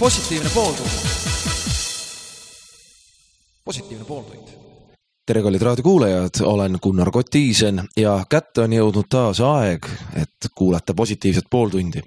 Positiivne pooltund. Positiivne pooltund. Tere, kallid raadiokuulajad, olen Gunnar Kotiisen ja kätte on jõudnud taas aeg, et kuulata positiivset pooltundi.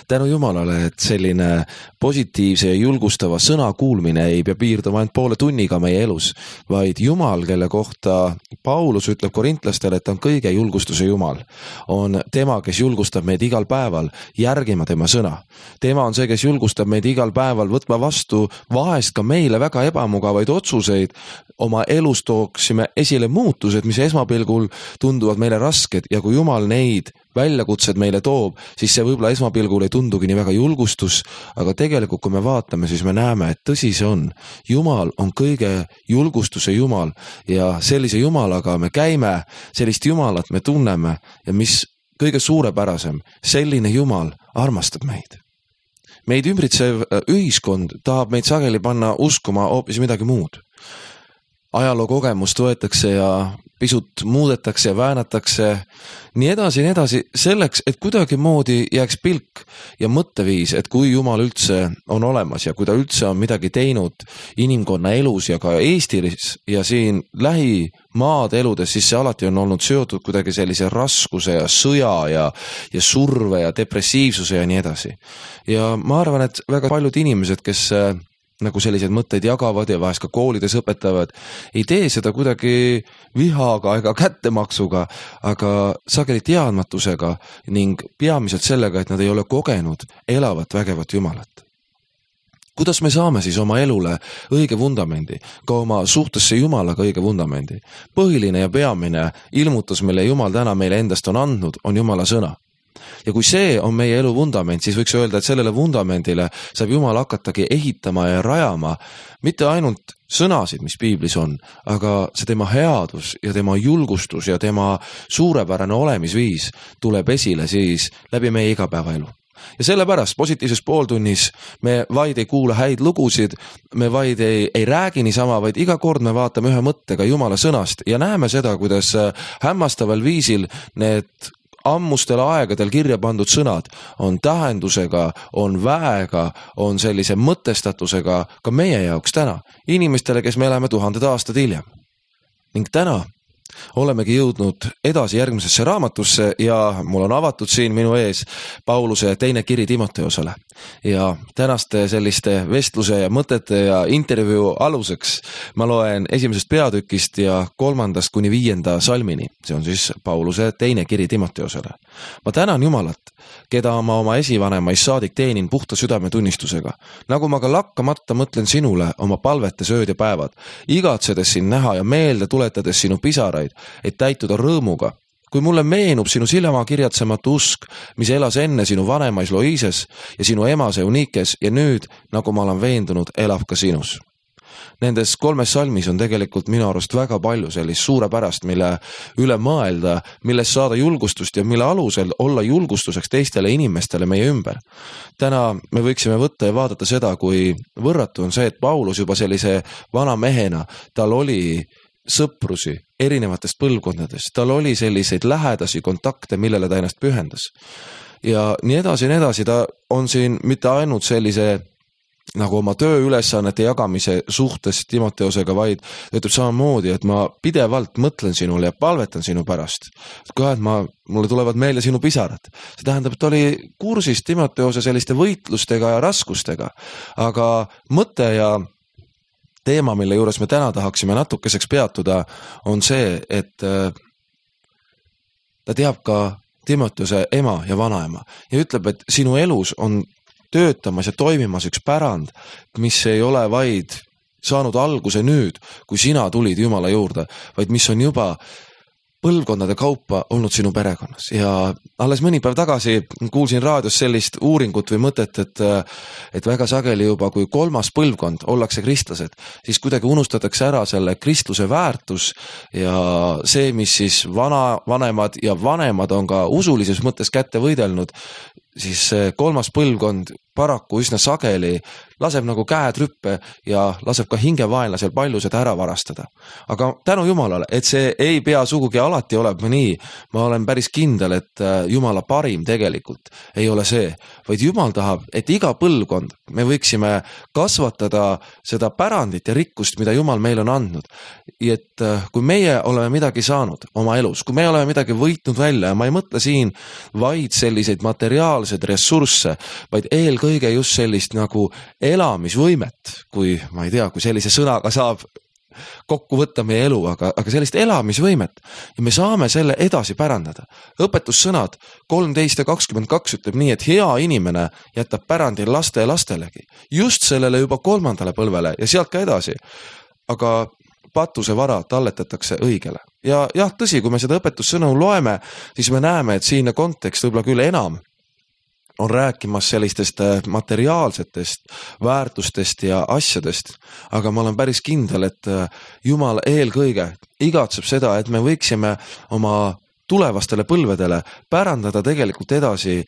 Tänu Jumalale, et selline positiivse ja julgustava sõna kuulmine ei pea piirduma ainult poole tunniga meie elus, vaid Jumal, kelle kohta Paulus ütleb korintlastele, et on kõige julgustuse Jumal, on tema, kes julgustab meid igal päeval järgima tema sõna. Tema on see, kes julgustab meid igal päeval võtma vastu vahest ka meile väga ebamugavaid otsuseid, oma elus tooksime esile muutused, mis esmapilgul tunduvad meile rasked ja kui Jumal neid väljakutsed meile toob, siis see võib-olla esmapilgul ei tundugi nii väga julgustus, aga tegelikult kui me vaatame, siis me näeme, et tõsi see on. Jumal on kõige julgustuse Jumal ja sellise Jumalaga me käime, sellist Jumalat me tunneme ja mis kõige suurepärasem, selline Jumal armastab meid. Meid ümbritsev ühiskond tahab meid sageli panna uskuma hoopis midagi muud. Ajaloo kogemust võetakse ja pisut muudetakse ja väänatakse, nii edasi, selleks, et kuidagi moodi jääks pilk ja mõtteviis, et kui Jumal üldse on olemas ja kui ta üldse on midagi teinud inimkonna elus ja ka Eestis ja siin lähimaad eludes, siis see alati on olnud seotud kuidagi sellise raskuse ja sõja ja surve ja depressiivsuse ja nii edasi. Ja ma arvan, et väga paljud inimesed, kes nagu selliseid mõtteid jagavad ja vahest ka koolides õpetavad, ei tee seda kuidagi vihaga ega kättemaksuga, aga sageli teadmatusega ning peamiselt sellega, et nad ei ole kogenud elavat vägevat Jumalat. Kuidas me saame siis oma elule õige vundamendi, ka oma suhtesse Jumalaga õige vundamendi? Põhiline ja peamine ilmutus, mille Jumal täna meile endast on andnud, on Jumala sõna. Ja kui see on meie elu vundament, siis võiks öelda, et sellele vundamendile saab Jumal hakatagi ehitama ja rajama mitte ainult sõnasid, mis piiblis on, aga see tema headus ja tema julgustus ja tema suurepärane olemisviis tuleb esile siis läbi meie igapäevaelu. Ja sellepärast positiivses pooltunnis me vaid ei kuula häid lugusid, me vaid ei räägi niisama, vaid iga kord me vaatame ühe mõttega Jumala sõnast ja näeme seda, kuidas hämmastaval viisil need ammustel aegadel kirja pandud sõnad on tähendusega, on väega, on sellise mõtestatusega ka meie jaoks täna, inimestele, kes me elame 1000 aastad hiljem. Ning täna olemegi jõudnud edasi järgmisesse raamatusse ja mul on avatud siin minu ees Pauluse teine kiri Timoteosele. Ja tänaste selliste vestluse ja mõtete ja intervjuu aluseks ma loen 1. peatükist ja 3. kuni 5. salmini. See on siis Pauluse teine kiri Timoteosele. Ma tänan Jumalat, keda ma oma esivanemaist saadik teenin puhta südametunnistusega. Nagu ma ka lakkamata mõtlen sinule oma palvetes ööd ja päevad, igatsedes sind näha ja meelde tuletades sinu pisaraid, et täituda rõõmuga. Kui mulle meenub sinu silma kirjatsematu usk, mis elas enne sinu vanemais Loises ja sinu emas Eunikes ja nüüd, nagu ma olen veendunud, elab ka sinus. Nendes 3 salmis on tegelikult minu arust väga palju sellist suurepärast, mille üle mõelda, millest saada julgustust ja mille alusel olla julgustuseks teistele inimestele meie ümber. Täna me võiksime võtta ja vaadata seda, kui võrratu on see, et Paulus juba sellise vana mehena, tal oli sõprusi erinevatest põlvkondadest, tal oli selliseid lähedasi kontakte, millele ta ennast pühendas. Ja nii edasi, ta on siin mitte ainult sellise nagu oma tööülesannete jagamise suhtes Timoteosega, vaid ütleb samamoodi, et ma pidevalt mõtlen sinule ja palvetan sinu pärast. Ka, et mulle tulevad meelde sinu pisarad. See tähendab, et oli kursis Timoteose selliste võitlustega ja raskustega, aga mõte ja teema, mille juures me täna tahaksime natukeseks peatuda, on see, et ta teab ka Timoteose ema ja vanaema ja ütleb, et sinu elus on töötamas ja toimimas üks pärand, mis ei ole vaid saanud alguse nüüd, kui sina tulid Jumala juurde, vaid mis on juba põlvkondade kaupa olnud sinu perekonnas. Ja alles mõni päev tagasi kuulsin raadios sellist uuringut või mõtet, et väga sageli juba kui 3. põlvkond ollakse kristlased, siis kuidagi unustatakse ära selle kristluse väärtus ja see, mis siis vanemad ja vanemad on ka usulises mõttes kätte võidelnud, siis see kolmas põlvkond paraku üsna sageli laseb nagu käed rüppe ja laseb ka hingevaenlasel palju seda ära varastada. Aga tänu Jumalale, et see ei pea sugugi alati olema nii, ma olen päris kindel, et Jumala parim tegelikult ei ole see, vaid Jumal tahab, et iga põlvkond me võiksime kasvatada seda pärandit ja rikkust, mida Jumal meil on andnud. Et kui meie oleme midagi saanud oma elus, kui me oleme midagi võitnud välja ja ma ei mõtle siin vaid selliseid materiaalseid ressursse, vaid eelkõige just sellist nagu elamisvõimet, kui ma ei tea, kui sellise sõnaga saab kokku võtta meie elu, aga sellist elamisvõimet ja me saame selle edasi pärandada. Õpetussõnad 13 ja 22 ütleb nii, et hea inimene jätab pärandi laste ja lastelegi, just sellele juba 3. põlvele ja sealt ka edasi. Aga patuse vara talletatakse õigele. Ja jah, tõsi, kui me seda õpetussõnu loeme, siis me näeme, et siinne kontekst võib-olla küll enam on rääkimas sellistest materiaalsetest väärtustest ja asjadest, aga ma olen päris kindel, et Jumal eelkõige igatseb seda, et me võiksime oma tulevastele põlvedele pärandada tegelikult edasi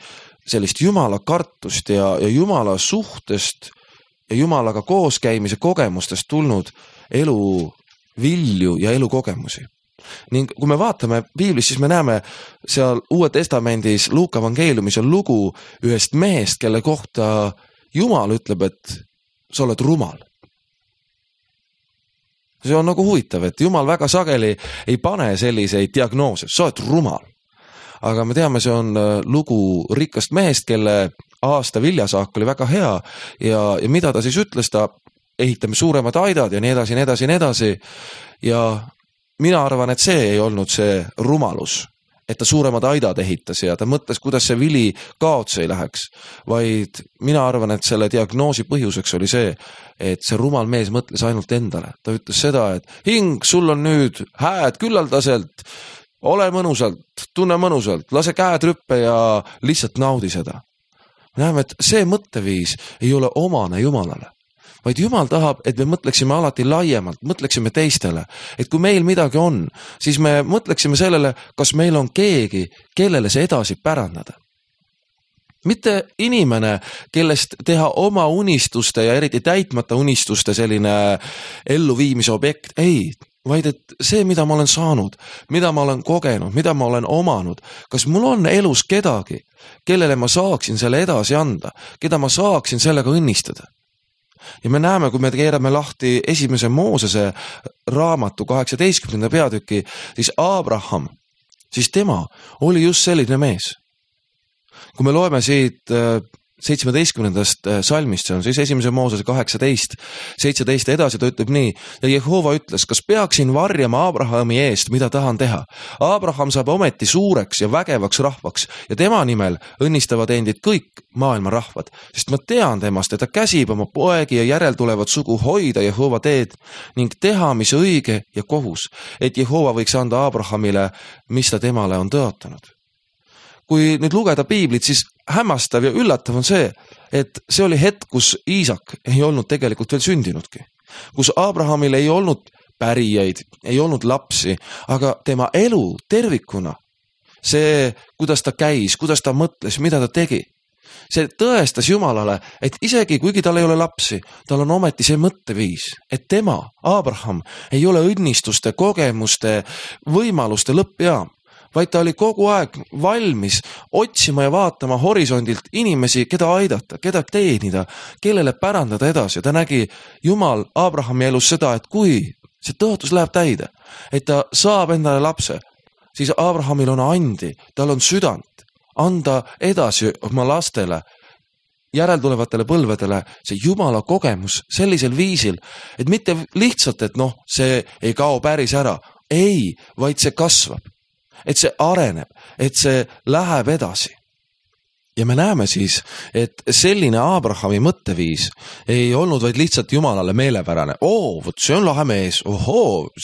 sellist Jumala kartust ja Jumala suhtest ja Jumalaga kooskäimise kogemustest tulnud elu vilju ja elukogemusi. Ning kui me vaatame piiblis, siis me näeme seal Uue Testamendis Luuka evangeeliumis on lugu ühest mehest, kelle kohta Jumal ütleb, et sa oled rumal. See on nagu huvitav, et Jumal väga sageli ei pane selliseid diagnoose, sa oled rumal. Aga me teame, see on lugu rikkast mehest, kelle aasta viljasaak oli väga hea ja mida ta siis ütles, ta ehitame suuremad aidad ja nii edasi, nii edasi, nii edasi ja mina arvan, et see ei olnud see rumalus, et ta suuremad aidad ehitas ja ta mõtles, kuidas see vili kaotsi ei läheks, vaid mina arvan, et selle diagnoosi põhjuseks oli see, et see rumal mees mõtles ainult endale. Ta ütles seda, et hing, sul on nüüd hääd küllaldaselt, ole mõnusalt, tunne mõnusalt, lase käed rüppe ja lihtsalt naudi seda. Me näeme, et see mõtteviis ei ole omane Jumalale. Vaid Jumal tahab, et me mõtleksime alati laiemalt, mõtleksime teistele, et kui meil midagi on, siis me mõtleksime sellele, kas meil on keegi, kellele see edasi pärandada. Mitte inimene, kellest teha oma unistuste ja eriti täitmata unistuste selline elluviimise objekt, ei, vaid et see, mida ma olen saanud, mida ma olen kogenud, mida ma olen omanud, kas mul on elus kedagi, kellele ma saaksin selle edasi anda, keda ma saaksin sellega õnnistada. Ja me näeme, kui me keerame lahti 1. Moosese raamatu 18. peatüki, siis Abraham, siis tema oli just selline mees. Kui me loeme siit 17. salmist, see on siis 1. Moosese 18, 17 edasi, ta ütleb nii, ja Jehova ütles, kas peaksin varjama Abrahami eest, mida tahan teha? Abraham saab ometi suureks ja vägevaks rahvaks ja tema nimel õnnistavad endid kõik maailma rahvad, sest ma tean temast, et ta käsib oma poegi ja järeltulevat sugu hoida Jehova teed ning teha, mis õige ja kohus, et Jehova võiks anda Abrahamile, mis ta temale on tõotanud. Kui nüüd lugeda piiblit, siis hämmastav ja üllatav on see, et see oli hetk, kus Iisak ei olnud tegelikult veel sündinudki. Kus Abrahamil ei olnud pärijaid, ei olnud lapsi, aga tema elu tervikuna, see, kuidas ta käis, kuidas ta mõtles, mida ta tegi, see tõestas Jumalale, et isegi kuigi tal ei ole lapsi, tal on ometi see mõtteviis, et tema, Abraham, ei ole õnnistuste, kogemuste, võimaluste lõppjaam, vaid ta oli kogu aeg valmis otsima ja vaatama horisondilt inimesi, keda aidata, keda teenida, kellele pärandada edasi. Ta nägi Jumal Abrahami elus seda, et kui see tõotus läheb täide, et ta saab endale lapse, siis Abrahamil on andi, tal on südant anda edasi oma lastele, järeltulevatele põlvedele see Jumala kogemus sellisel viisil, et mitte lihtsalt, et see ei kao päris ära, ei, vaid see kasvab. Et see areneb, et see läheb edasi. Ja me näeme siis, et selline Abrahami mõtteviis ei olnud vaid lihtsalt Jumalale meelepärane. Vot see on lahe mees,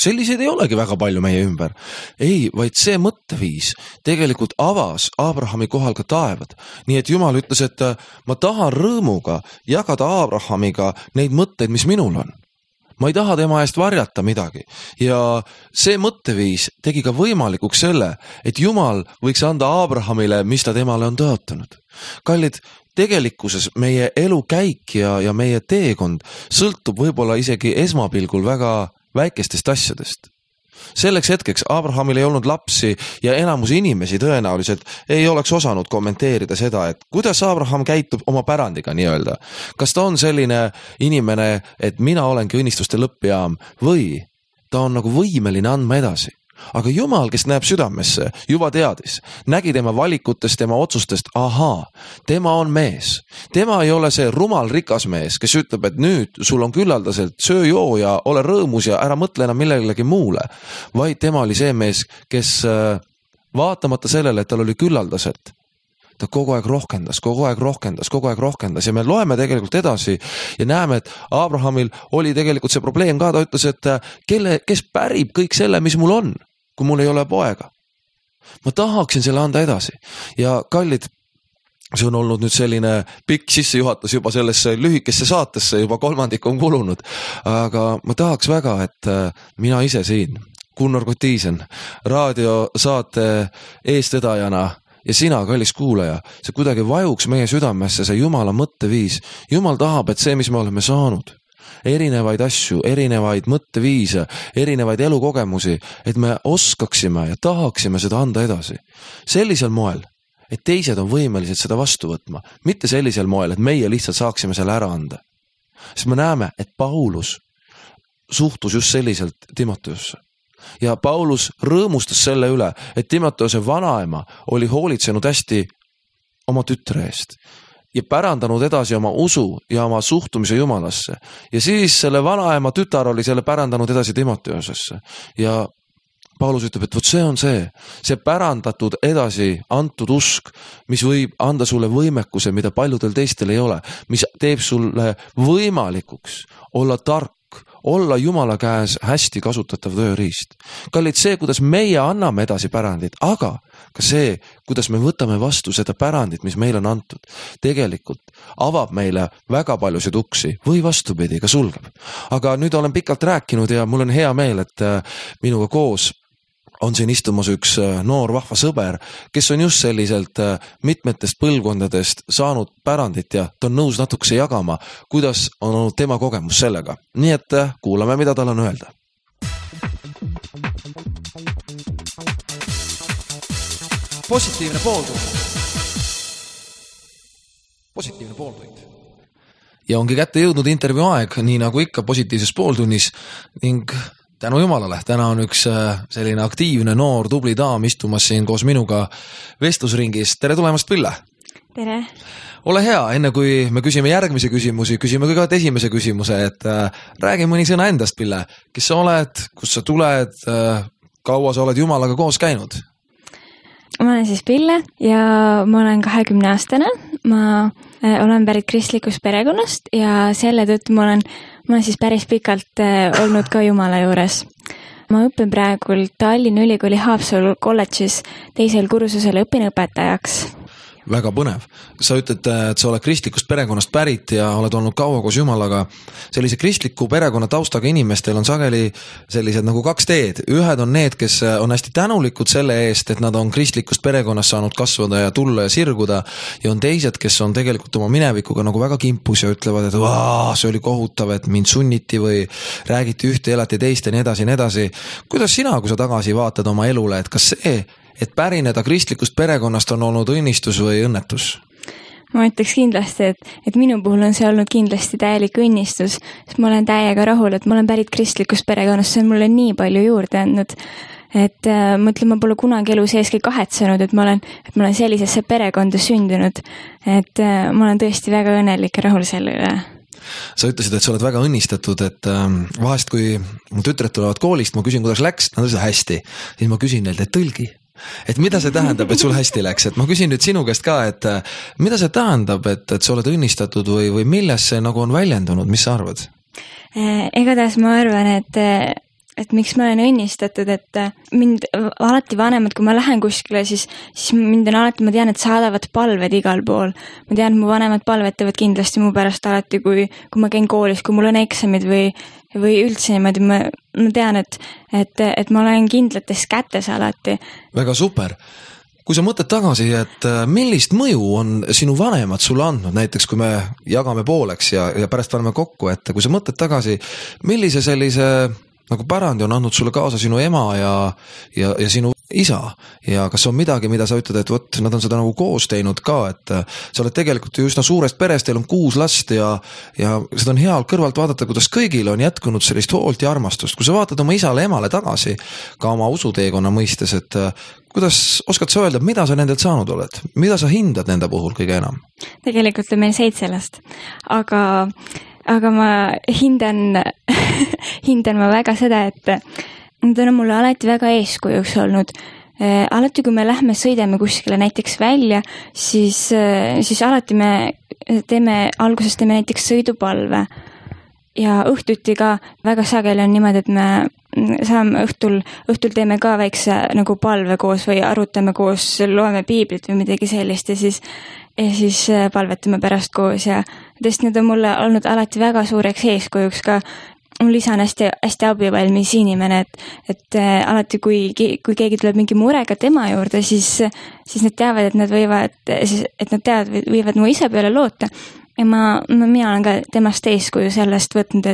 selliseid ei olegi väga palju meie ümber. Ei, vaid see mõtteviis tegelikult avas Abrahami kohal ka taevad. Nii et Jumal ütles, et ma tahan rõõmuga jagada Abrahamiga neid mõtteid, mis minul on. ma ei taha tema eest varjata midagi ja see mõtteviis tegi ka võimalikuks selle, et Jumal võiks anda Abrahamile, mis ta temale on tõotanud. Kallid, tegelikkuses meie elukäik ja meie teekond sõltub võib-olla isegi esmapilgul väga väikestest asjadest. Selleks hetkeks Abrahamil ei olnud lapsi ja enamus inimesi tõenäoliselt ei oleks osanud kommenteerida seda, et kuidas Abraham käitub oma pärandiga nii-öelda. Kas ta on selline inimene, et mina olengi õnnistuste lõppjaam või ta on nagu võimeline andma edasi. Aga Jumal, kes näeb südamesse, juba teadis, nägi tema valikutest, tema otsustest, ahaa, tema on mees. Tema ei ole see rumal rikas mees, kes ütleb, et nüüd sul on küllaldaselt söö-joo ja ole rõõmus ja ära mõtle enam millelegi muule, vaid tema oli see mees, kes vaatamata sellele, et tal oli küllaldaselt, ta kogu aeg rohkendas ja me loeme tegelikult edasi ja näeme, et Abrahamil oli tegelikult see probleem ka, ta ütles, et kes pärib kõik selle, mis mul on, kui mul ei ole poega. Ma tahaksin selle anda edasi ja kallid, see on olnud nüüd selline pikk sissejuhatus juba sellesse lühikesse saatesse, juba kolmandik on kulunud, aga ma tahaks väga, et mina ise siin, Gunnar Kotiisen, raadiosaate eestvedajana ja sina, kallis kuulaja, see kuidagi vajuks meie südamesse, see Jumala mõtteviis. Jumal tahab, et see, mis me oleme saanud, erinevaid asju, erinevaid mõtteviise, erinevaid elukogemusi, et me oskaksime ja tahaksime seda anda edasi. Sellisel moel, et teised on võimelised seda vastu võtma, mitte sellisel moel, et meie lihtsalt saaksime selle ära anda. Sest me näeme, et Paulus suhtus just selliselt Timoteosse. Ja Paulus rõõmustas selle üle, et Timoteose vanaema oli hoolitsenud hästi oma tütre eest ja pärandanud edasi oma usu ja oma suhtumise Jumalasse. Ja siis selle vanaema tütar oli selle pärandanud edasi Timoteosesse. Ja Paulus ütleb, et võt see on see pärandatud edasi antud usk, mis võib anda sulle võimekuse, mida paljudel teistel ei ole, mis teeb sulle võimalikuks olla tark, olla Jumala käes hästi kasutatav tööriist. Kallid, see, kuidas meie anname edasi pärandit, aga ka see, kuidas me võtame vastu seda pärandit, mis meil on antud, tegelikult avab meile väga paljusid uksi või vastupidi, ka sulgeb. Aga nüüd olen pikalt rääkinud ja mul on hea meel, et minuga koos on siin istumas üks noor vahva sõber, kes on just selliselt mitmetest põlvkondadest saanud pärandit ja ta on nõus natukese jagama, kuidas on olnud tema kogemus sellega. Nii et kuulame, mida tal on öelda. Positiivne pooltund. Positiivne pooltund. Ja ongi kätte jõudnud intervjuu aeg, nii nagu ikka positiivses pooltunnis ning tänu Jumalale, täna on üks selline aktiivne noor tubli daam istumas siin koos minuga vestlusringis. Tere tulemast, Pille! Tere! Ole hea, enne kui me küsime järgmise küsimusi, küsime kõigepealt esimese küsimuse, et räägi mõni sõna endast, Pille. Kes sa oled, kust sa tuled, kaua sa oled Jumalaga koos käinud? Ma olen siis Pille ja ma olen 20-aastane. Ma olen pärit kristlikust perekonnast ja selle tõttu ma olen siis päris pikalt olnud ka Jumala juures. Ma õpin praegu Tallinna Ülikooli Haapsalu kolledžis teisel kursusel õpinõpetajaks. Väga põnev. Sa ütled, et sa oled kristlikust perekonnast pärit ja oled olnud kaua koos Jumalaga. Sellise kristliku perekonna taustaga inimestel on sageli sellised nagu kaks teed. Ühed on need, kes on hästi tänulikud selle eest, et nad on kristlikust perekonnast saanud kasvada ja tulla ja sirguda. Ja on teised, kes on tegelikult oma minevikuga nagu väga kimpus ja ütlevad, et see oli kohutav, et mind sunniti või räägiti ühte, elati teist ja nii edasi. Kuidas sina, kui sa tagasi vaatad oma elule, et kas see, et pärineda kristlikust perekonnast on olnud õnnistus või õnnetus? Ma ütleks kindlasti, et minu puhul on see olnud kindlasti täielik õnnistus, sest ma olen täiega rahul, et ma olen pärit kristlikust perekonnast, see on mulle nii palju juurde andnud, et ma ütlen, ma pole kunagi elu seeski kahetsenud, et ma olen sellisesse perekonda sündinud, et ma olen tõesti väga õnnelik ja rahul selle üle. Sa ütlesid, et sa oled väga õnnistatud, et vahest kui mu tütred tulevad koolist, ma küsin, kuidas läks, nad ütlesid hästi, siis ma küsin neilt, et tõlgi. Et mida see tähendab, et sul hästi läks, et ma küsin nüüd sinu käest ka, et mida see tähendab, et sa oled õnnistatud või milles see nagu on väljendunud, mis sa arvad? Igatahes ma arvan, et miks ma olen õnnistatud, et mind alati vanemad, kui ma lähen kuskile, siis mind on alati, ma tean, et saadavad palved igal pool. Ma tean, et mu vanemad palvetavad kindlasti mu pärast alati, kui ma käin koolis, kui mul on eksamid või või üldse niimoodi, ma tean, et ma olen kindlates kätes alati. Väga super. Kui sa mõtled tagasi, et millist mõju on sinu vanemad sulle andnud, näiteks kui me jagame pooleks ja pärast paneme kokku, et kui sa mõtled tagasi, millise sellise nagu pärandi on andnud sulle kaasa sinu ema ja sinu isa ja kas on midagi, mida sa ütled, et võt, nad on seda nagu koos teinud ka, et sa oled tegelikult ju üsna suurest perest, teil on 6 last ja seda on hea kõrvalt vaadata, kuidas kõigil on jätkunud sellist hoolt ja armastust. Kui sa vaatad oma isale, emale tagasi, ka oma usuteekonna mõistes, et kuidas oskad sa öelda, mida sa nendelt saanud oled? Mida sa hindad nende puhul kõige enam? Tegelikult on meil 7 last, aga ma hindan ma väga seda, et nad on mulle alati väga eeskujuks olnud. Alati, kui me lähme sõidame kuskile näiteks välja, siis alati me alguses teeme näiteks sõidupalve ja õhtuti ka väga sageli on niimoodi, et me saame õhtul teeme ka väikse nagu palve koos või arutame koos, loeme piiblit või midagi sellist ja siis palvetame pärast koos ja tõesti need on mulle olnud alati väga suureks eeskujuks ka. Mul isa on hästi abivalmis inimene, et alati kui keegi tuleb mingi murega tema juurde, siis nad teavad, et nad võivad mu isa peale loota. Ja mina olen ka temast eeskuju sellest võtnud,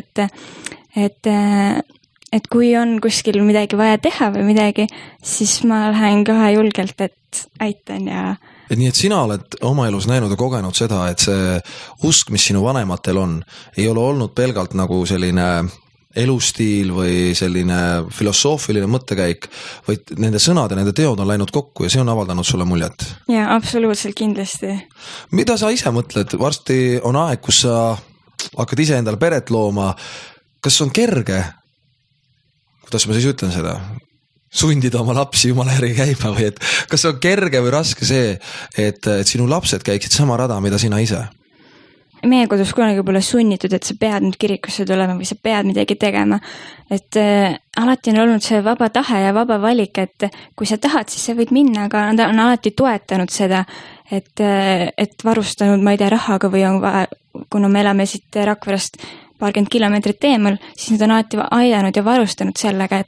et kui on kuskil midagi vaja teha või midagi, siis ma lähen kohe julgelt, et aitan ja... Et nii, et sina oled oma elus näinud ja kogenud seda, et see usk, mis sinu vanematel on, ei ole olnud pelgalt nagu selline elustiil või selline filosoofiline mõttekäik, vaid nende sõnad ja nende teod on läinud kokku ja see on avaldanud sulle muljet. Ja, absoluutselt kindlasti. Mida sa ise mõtled? Varsti on aeg, kus sa hakkad ise endale peret looma. Kas on kerge? Kuidas ma siis ütlen seda? Sundida oma lapsi jumala järgi käima või et kas on kerge või raske see, et sinu lapsed käiksid sama rada, mida sina ise? Meie kodus kunagi pole sunnitud, et sa pead nüüd kirikusse tulema või sa pead midagi tegema. Et alati on olnud see vaba tahe ja vaba valik, et kui sa tahad, siis sa võid minna, aga nad on alati toetanud seda, et varustanud, ma ei tea, rahaga või on vaja, kuna me elame siit Rakverast 20 kilomeetrit eemal, siis nad on alati aidanud ja varustanud sellega,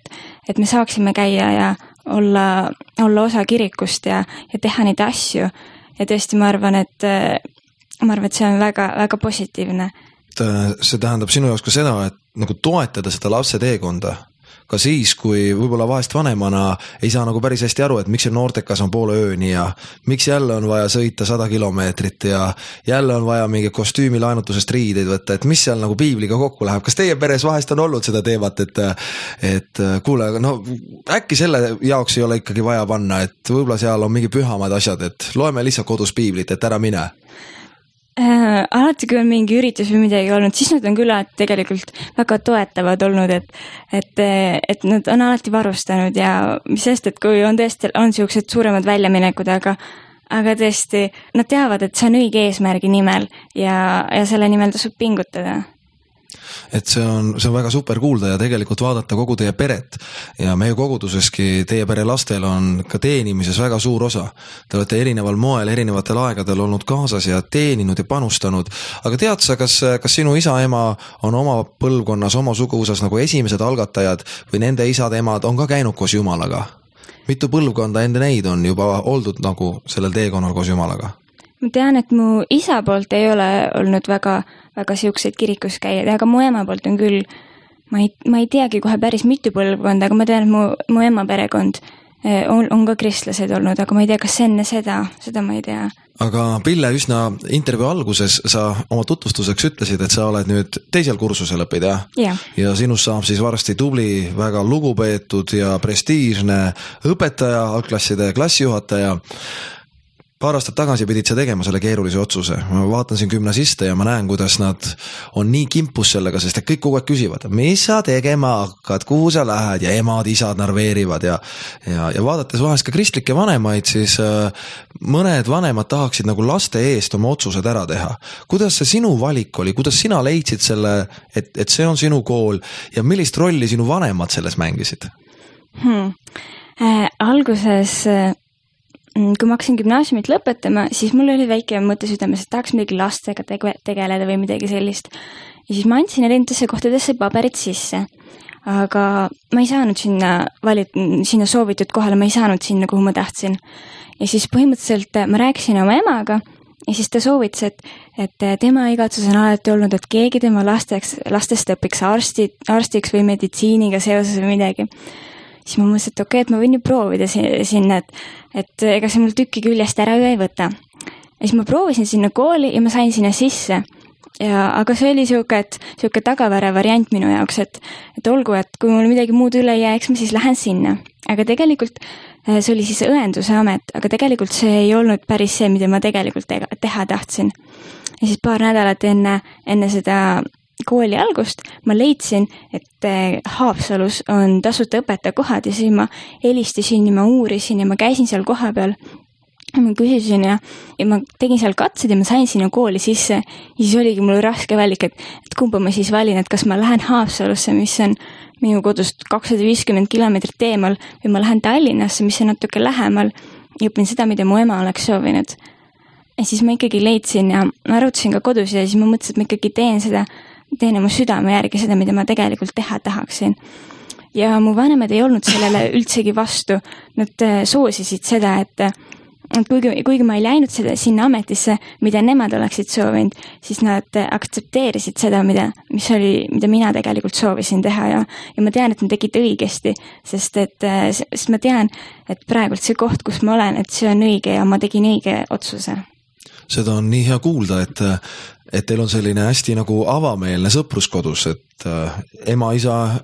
et me saaksime käia ja olla osa kirikust ja teha neid asju. Ja tõesti, ma arvan, et see on väga, väga positiivne. See tähendab sinu jaoks ka seda, et nagu toetada seda lapse teekonda, ka siis, kui võib-olla vahest vanemana ei saa nagu päris hästi aru, et miks see noortekas on poole ööni ja miks jälle on vaja sõita 100 kilomeetrit ja jälle on vaja mingi kostüümi laenutusest riideid võtta, et mis seal nagu piibliga kokku läheb. Kas teie peres vahest on olnud seda teemat, et kuule, no äkki selle jaoks ei ole ikkagi vaja panna, et võib-olla seal on mingi pühamad asjad, et loeme lihtsalt kodus piiblit, et ära mine? Alati, kui on mingi üritus või midagi olnud, siis nad on küll tegelikult väga toetavad olnud, et nad on alati varustanud ja mis sest, et kui on tõesti on sellised suuremad väljaminekud, aga tõesti nad teavad, et see on õige eesmärgi nimel ja selle nimel tasub pingutada. Et see on väga super kuulda ja tegelikult vaadata kogu teie peret ja meie koguduseski teie pere lastel on ka teenimises väga suur osa. Te olete erineval moel, erinevatel aegadel olnud kaasas ja teeninud ja panustanud, aga tead sa, kas sinu isa ema on oma põlvkonnas, oma suguvõsas nagu esimesed algatajad või nende isad emad on ka käinud koos Jumalaga? Mitu põlvkonda ende neid on juba oldud nagu sellel teekonnal koos Jumalaga? Ma tean, et mu isa poolt ei ole olnud väga siukseid kirikus käijad, aga mu ema poolt on küll, ma ei teagi kohe päris mitu põlvkonda, aga ma tean, et mu ema perekond on ka kristlased olnud, aga ma ei tea, kas enne seda ma ei tea. Aga Pille, üsna intervjuu alguses sa oma tutvustuseks ütlesid, et sa oled nüüd teisel kursusel õpid, jah? Ja. Ja sinust saab siis varsti tubli, väga lugupeetud ja prestiižne õpetaja, algklasside klassijuhataja. Paar aastat tagasi pidid sa tegema selle keerulise otsuse. Ma vaatan siin gümnasiste ja ma näen, kuidas nad on nii kimpus sellega, sest kõik kogu aeg küsivad, mis sa tegema hakkad, kuhu sa lähed ja emad, isad narveerivad ja vaadates vahest ka kristlikke vanemaid, siis mõned vanemad tahaksid nagu laste eest oma otsused ära teha. Kuidas see sinu valik oli? Kuidas sina leidsid selle, et see on sinu kool ja millist rolli sinu vanemad selles mängisid? Alguses kui ma hakkasin gümnaasiumit lõpetama, siis mul oli väike mõte südames, et tahaks midagi lastega tegeleda või midagi sellist. Ja siis ma andsin erinevatesse kohtadesse paberid sisse, aga ma ei saanud sinna soovitud kohale, ma ei saanud sinna, kuhu ma tahtsin. Ja siis põhimõtteliselt ma rääkisin oma emaga ja siis ta soovitas, et tema igatsus on alati olnud, et keegi tema lastest õpiks arstiks või meditsiiniga seoses või midagi. Siis ma mõtlesin, et okei, et ma võin ju proovida sinna, et ega see mul tükki küljest ära ju ei võta. Ja siis ma proovisin sinna kooli ja ma sain sinna sisse. Aga see oli siuke tagavara variant minu jaoks, et olgu, et kui mul midagi muud üle ei jää, eks ma siis lähen sinna. Aga tegelikult see oli siis õenduse amet, aga tegelikult see ei olnud päris see, mida ma tegelikult teha tahtsin. Ja siis paar nädalat enne seda kooli algust ma leidsin, et Haapsalus on tasuta õpetajakohad ja siis ma helistasin ja ma uurisin ja ma käisin seal koha peal. Ma küsisin ja ma tegin seal katsed ja ma sain sinna kooli sisse ja siis oligi mul raske valik, et kumba ma siis valin, et kas ma lähen Haapsalusse, mis on minu kodust 250 kilomeetrit eemal või ma lähen Tallinnasse, mis on natuke lähemal ja õpin seda, mida mu ema oleks soovinud. Ja siis ma ikkagi leidsin ja ma arutasin ka kodus ja siis ma mõtlesin, et ma ikkagi teen oma südame järgi seda, mida ma tegelikult teha tahaksin. Ja mu vanemad ei olnud sellele üldsegi vastu. Nad soosisid seda, et kuigi ma ei läinud sinna ametisse, mida nemad oleksid soovinud, siis nad aktsepteerisid seda, mida mina tegelikult soovisin teha ja ma tean, et nad tegid õigesti, sest ma tean, et praegult see koht, kus ma olen, et see on õige ja ma tegin õige otsuse. Seda on nii hea kuulda, et teil on selline hästi nagu avameelne sõprus kodus, et ema, isa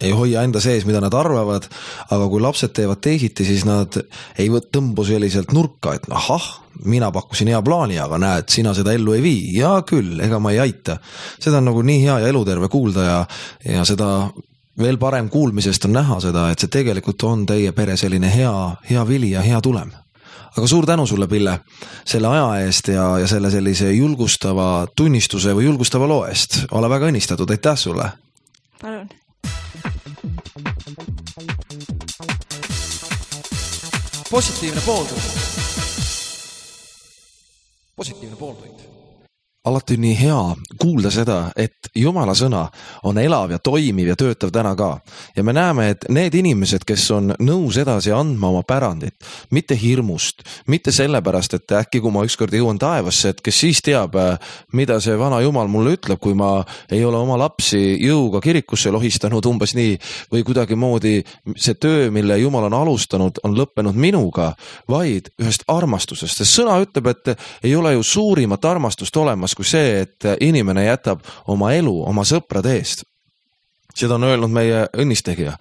ei hoia enda sees, mida nad arvavad, aga kui lapsed teevad teisiti, siis nad ei tõmbu selliselt nurka, et ahah, mina pakkusin hea plaani, aga näed, sina seda ellu ei vii. Ja küll, ega ma ei aita. Seda on nagu nii hea ja eluterve kuulda ja seda veel parem kuulmisest on näha seda, et see tegelikult on teie pere selline hea vili ja hea tulem. Aga suur tänu sulle, Pille, selle aja eest ja selle sellise julgustava tunnistuse või julgustava loo eest. Ole väga õnnistatud, aitäh sulle! Palun! Positiivne pooltund. Alati on nii hea kuulda seda, et Jumala sõna on elav ja toimiv ja töötav täna ka. Ja me näeme, et need inimesed, kes on nõus edasi andma oma pärandit, mitte hirmust, mitte sellepärast, et äkki kui ma ükskord jõuan taevasse, et kes siis teab, mida see vana Jumal mulle ütleb, kui ma ei ole oma lapsi jõuga kirikusse lohistanud umbes nii, või kuidagi moodi see töö, mille Jumal on alustanud, on lõppenud minuga, vaid ühest armastusest. See sõna ütleb, et ei ole ju suurimat armastust olemas, kui see, et inimene jätab oma elu oma sõprade eest. Seda on öelnud meie õnnistegija,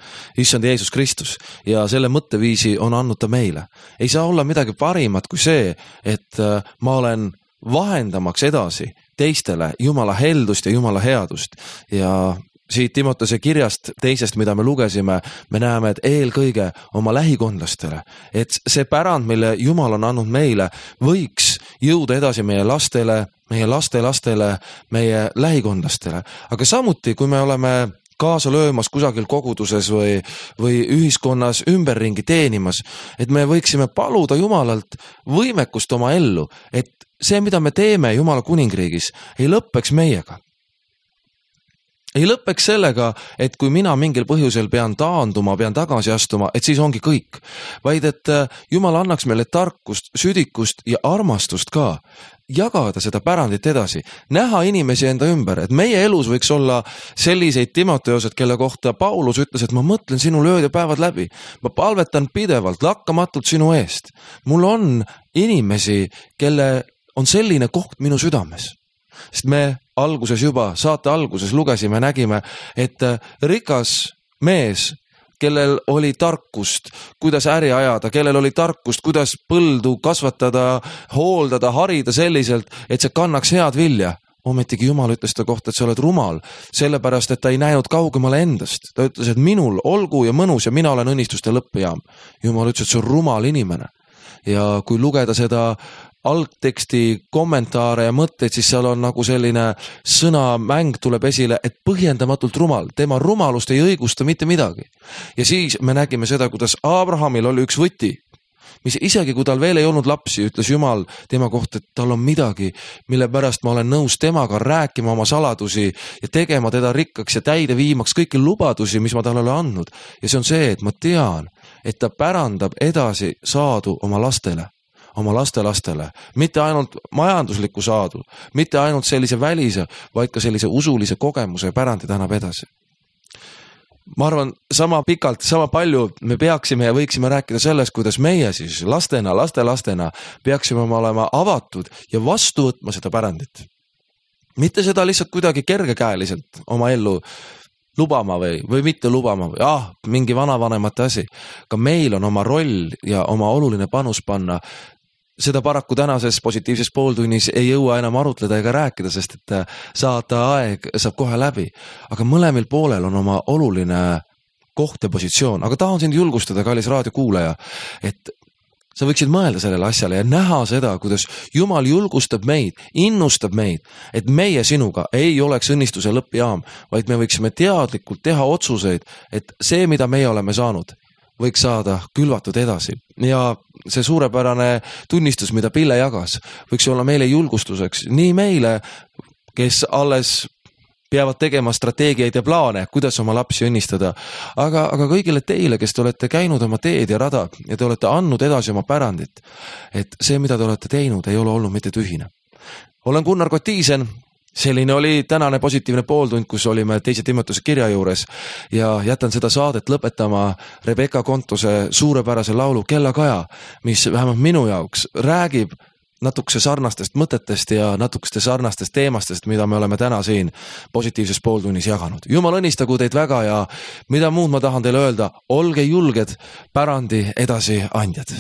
issand Jeesus Kristus, ja selle mõtteviisi on andnud ta meile. Ei saa olla midagi parimat kui see, et ma olen vahendamaks edasi teistele Jumala heldust ja Jumala headust. Ja siit Timotese kirjast teisest, mida me lugesime, me näeme, et eelkõige oma lähikondlastele, et see pärand, mille Jumal on andnud meile, võiks jõuda edasi meie lastele, meie lastelastele, meie lähikondlastele. Aga samuti, kui me oleme kaasa löömas kusagil koguduses või ühiskonnas ümberringi teenimas, et me võiksime paluda Jumalalt võimekust oma ellu, et see, mida me teeme Jumala kuningriigis, ei lõppeks meiega. Ei lõppeks sellega, et kui mina mingil põhjusel pean taanduma, pean tagasi astuma, et siis ongi kõik. Vaid et Jumal annaks meile tarkust, südikust ja armastust ka. Jagada seda pärandit edasi. Näha inimesi enda ümber, et meie elus võiks olla selliseid Timoteosed, kelle kohta Paulus ütles, et ma mõtlen sinu ööd ja päevad läbi. Ma palvetan pidevalt, lakkamatult sinu eest. Mul on inimesi, kelle on selline koht minu südames. Sest me saate alguses lugesime, nägime, et rikas mees, kellel oli tarkust, kuidas äri ajada, kellel oli tarkust, kuidas põldu kasvatada, hooldada, harida selliselt, et see kannaks head vilja. Ometigi Jumal ütles ta kohta, et sa oled rumal, sellepärast, et ta ei näinud kaugemale endast. Ta ütles, et minul olgu ja mõnus ja mina olen õnnistuste lõppjaam. Jumal ütles, et see on rumal inimene. Ja kui lugeda seda algteksti kommentaare ja mõtteid, siis seal on nagu selline sõnamäng tuleb esile, et põhjendamatult rumal. Tema rumalust ei õigusta mitte midagi. Ja siis me nägime seda, kuidas Abrahamil oli üks võti. mis isegi kui tal veel ei olnud lapsi, ütles Jumal tema kohta, et tal on midagi, mille pärast ma olen nõus temaga rääkima oma saladusi ja tegema teda rikkaks ja täide viimaks kõiki lubadusi, mis ma talle olen andnud. Ja see on see, et ma tean, et ta pärandab edasi saadu oma lastele, oma lastelastele, mitte ainult majanduslikku saadu, mitte ainult sellise välise, vaid ka sellise usulise kogemuse pärandi ta annab edasi. Ma arvan, sama pikalt, sama palju me peaksime ja võiksime rääkida sellest, kuidas meie siis lastena, lastelastena peaksime olema avatud ja vastu võtma seda pärandit. Mitte seda lihtsalt kuidagi kergekäeliselt oma ellu lubama või mitte lubama või mingi vanavanemate asi. Ka meil on oma roll ja oma oluline panus panna. Seda paraku tänases positiivses pooltunnis ei jõua enam arutleda ega rääkida, sest et saata aeg saab kohe läbi. Aga mõlemil poolel on oma oluline koht ja positsioon. Aga tahan sind julgustada, kallis raadiokuulaja, et sa võiksid mõelda sellele asjale ja näha seda, kuidas Jumal julgustab meid, innustab meid, et meie sinuga ei oleks õnnistuse lõppjaam, vaid me võiksime teadlikult teha otsuseid, et see, mida meie oleme saanud, võiks saada külvatud edasi. Ja see suurepärane tunnistus, mida Pille jagas, võiks olla meile julgustuseks nii meile, kes alles peavad tegema strateegiaid ja plaane, kuidas oma lapsi õnnistada, aga kõigile teile, kes te olete käinud oma teed ja rada ja te olete andnud edasi oma pärandit, et see, mida te olete teinud, ei ole olnud mitte tühine. Olen Gunnar Kotiisen. Selline oli tänane positiivne pooltund, kus olime 2. Timotuse kirja juures ja jätan seda saadet lõpetama Rebecca Kontuse suurepärase laulu Kellakaja, mis vähemalt minu jaoks räägib natukese sarnastest mõtetest ja natukeste sarnastest teemastest, mida me oleme täna siin positiivses pooltunnis jaganud. Jumal õnnistagu teid väga ja mida muud ma tahan teile öelda, olge julged pärandi edasi andjad.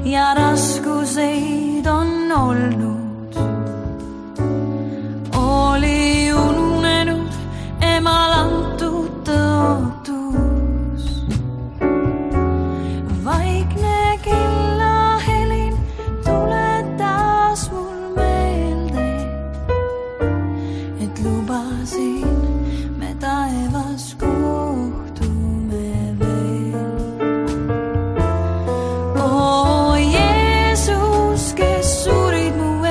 Ja raskuseid on olnud, oli ununenud emal antud tõotus. Vaikne kellahelin tuletas mul meelde, et lubasin me taevas kohtume veel. Jeesus, kes surid mu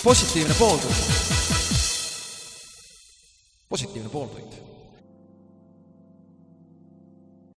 positiivne pooltund. positiivne pooltund.